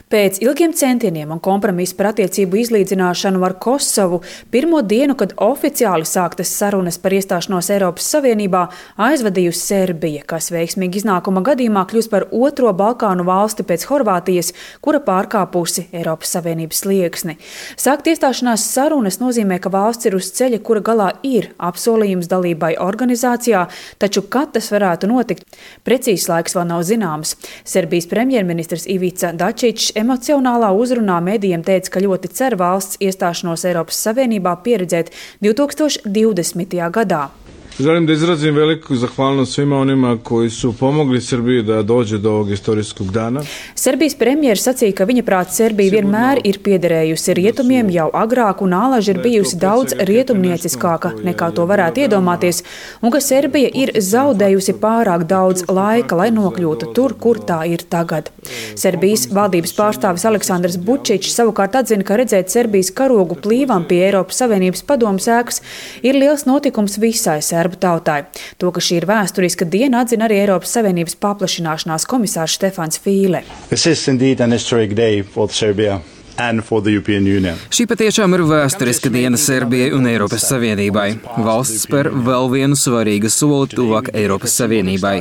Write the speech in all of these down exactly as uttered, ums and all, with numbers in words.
Pēc ilgiem centieniem un kompromisu par attiecību izlīdzināšanu ar Kosovu pirmo dienu, kad oficiāli sāktas sarunas par iestāšanos Eiropas Savienībā, aizvadījusi Serbija, kas veiksmīgi iznākuma gadījumā kļūs par otro Balkānu valsti pēc Horvātijas, kura pārkāpusi Eiropas Savienības slieksni. Sākt iestāšanās sarunas nozīmē, ka valsts ir uz ceļa, kura galā ir apsolījums dalībai organizācijā, taču kad tas varētu notikt, precīzs laiks vēl nav zināms. Serbijas premjerministrs Ivica Dačić emocionālā uzrunā medijiem teica, ka ļoti cer valsts iestāšanos Eiropas Savienībā pieredzēt divtūkstoš divdesmitajā gadā. Želim da izrazim veliku zahvalnost svima onima koji su pomogli Srbiji da dođe do ovog istorijskog dana. Serbijas premjeras sacīja, ka viņa prāt Serbija vienmēr ir piederējusi rietumiem jau agrāk un alaži ir bijusi daudz rietumnieciskāka nekā to varētu iedomāties, un ka Serbija ir zaudējusi pārāk daudz laika, lai nokļūtu tur, kur tā ir tagad. Serbijas valdības pārstāvis Aleksandrs Vučić savukārt atzina, ka redzēt Serbijas karogu plīvam pie Eiropas Savienības padomes ēkas ir liels notikums visai Serbijai. Tautai. To, ka šī ir vēsturiska diena, atzina arī Eiropas Savienības paplašināšanās komisārs Štefans Fīle. Šī patiešām ir vēsturiska diena Serbijai un Eiropas Savienībai. Valsts spēr vēl vienu svarīgu soli tuvāk Eiropas Savienībai.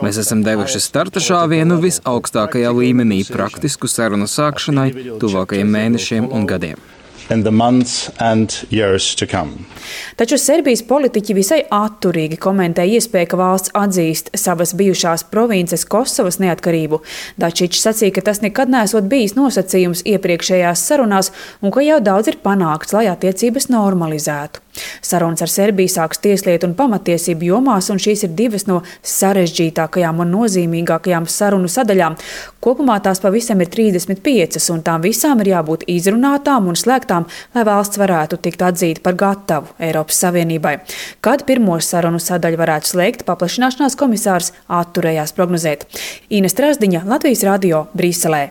Mēs esam devuši starta šāvienu visaugstākajā līmenī praktisku sarunu sākšanai tuvākajiem mēnešiem un gadiem. Taču Serbijas politiķi visai atturīgi komentē iespēju, ka valsts atzīst savas bijušās provinces Kosovas neatkarību. Dačić sacīja, ka tas nekad neesot bijis nosacījums iepriekšējās sarunās un ka jau daudz ir panākts, lai attiecības normalizētu. Sarunas ar Serbiju sāks tieslietu un pamatiesību jomās, un šīs ir divas no sarežģītākajām un nozīmīgākajām sarunu sadaļām. Kopumā tās pavisam ir trīsdesmit piecas, un tām visām ir jābūt izrunātām un slēgtām, lai valsts varētu tikt atzīta par gatavu Eiropas Savienībai. Kad pirmo sarunu sadaļu varētu slēgt, paplašināšanās komisārs atturējās prognozēt. Ines Trasdiņa, Latvijas radio, Brīselē.